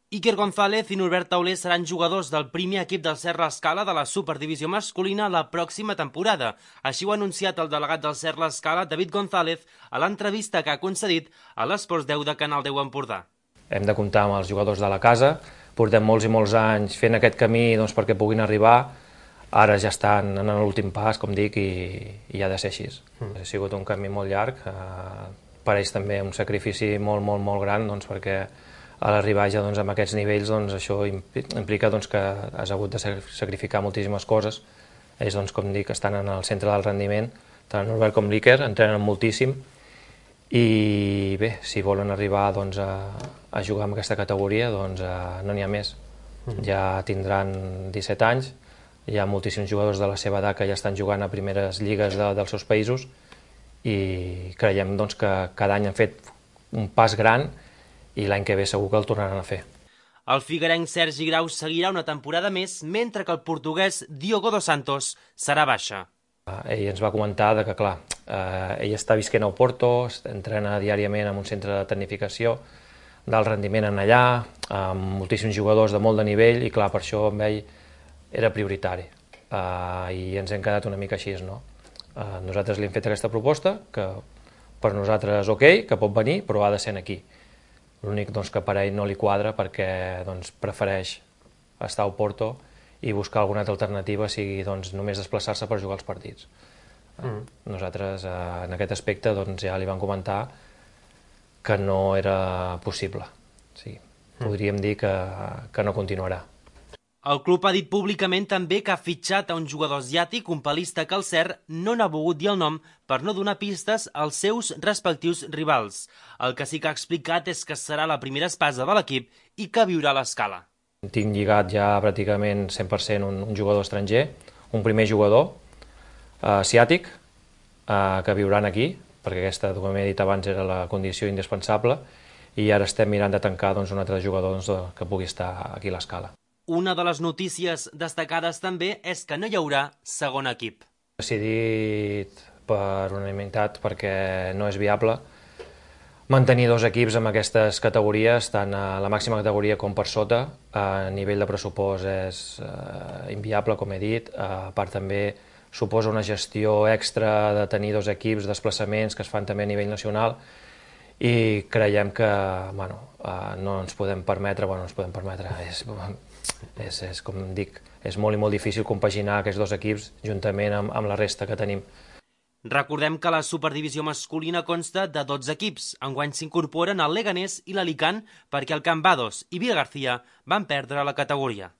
Iker González i Norbert Tauler seran jugadors del primer equip del Serra Escala de la Superdivisió masculina la pròxima temporada. Així ho ha anunciat el delegat del Serra Escala, David González, a l'entrevista que ha concedit a l'Esports 10 de Canal 10 Empordà. Hem de comptar amb els jugadors de la casa, portem molts i molts anys fent aquest camí perquè puguin arribar, ara ja estan en l'últim pas, com dic, i ha de ser així. Ha sigut un camí molt llarg, per ells també un sacrifici molt gran, perquè a l'arribar ja amb aquests nivells això implica que has hagut de sacrificar moltíssimes coses. Ells, com dic, estan en el centre del rendiment, tant Norbert com l'Iker entrenen moltíssim, i bé, si volen arribar a jugar en aquesta categoria, no n'hi ha més. Ja tindran 17 anys, hi ha moltíssims jugadors de la seva edat que ja estan jugant a primeres lligues dels seus països, i creiem que cada any han fet un pas gran i l'any que ve segur que el tornaran a fer. El figuerenc Sergi Grau seguirà una temporada més, mentre que el portuguès Diogo dos Santos serà baixa. Ell ens va comentar que, clar, ell està visquent a Oporto, entrena diàriament en un centre de tecnificació, d'alt rendiment en allà, amb moltíssims jugadors de molt de nivell, i clar, per això amb ell era prioritari. I ens hem quedat una mica així, no? Nosaltres li hem fet aquesta proposta, que per nosaltres és ok, que pot venir, però ha de ser aquí. L'únic que per ell no li quadra perquè prefereix estar a Oporto i buscar alguna altra alternativa, sigui només desplaçar-se per jugar els partits. Nosaltres en aquest aspecte ja li vam comentar que no era possible. Podríem dir que no continuarà. El club ha dit públicament també que ha fitxat a un jugador asiàtic, un palista que el CER no n'ha volgut dir el nom per no donar pistes als seus respectius rivals. El que sí que ha explicat és que serà la primera espasa de l'equip i que viurà a l'Escala. Tinc lligat ja pràcticament 100% un jugador estranger, un primer jugador asiàtic que viuran aquí, perquè aquesta, com he dit abans, era la condició indispensable, i ara estem mirant de tancar un altre jugador que pugui estar aquí a l'Escala. Una de les notícies destacades també és que no hi haurà segon equip. Decidit per unanimitat perquè no és viable mantenir dos equips amb aquestes categories, tant a la màxima categoria com per sota. A nivell de pressupost és inviable, com he dit. A part també suposa una gestió extra de tenir dos equips, desplaçaments que es fan també a nivell nacional, i creiem que no ens podem permetre, és com dic, és molt i molt difícil compaginar aquests dos equips juntament amb la resta que tenim. Recordem que la Superdivisió masculina consta de 12 equips. Enguany s'incorporen el Leganés i l'Alicant perquè el Cambados i Vilagarcía van perdre la categoria.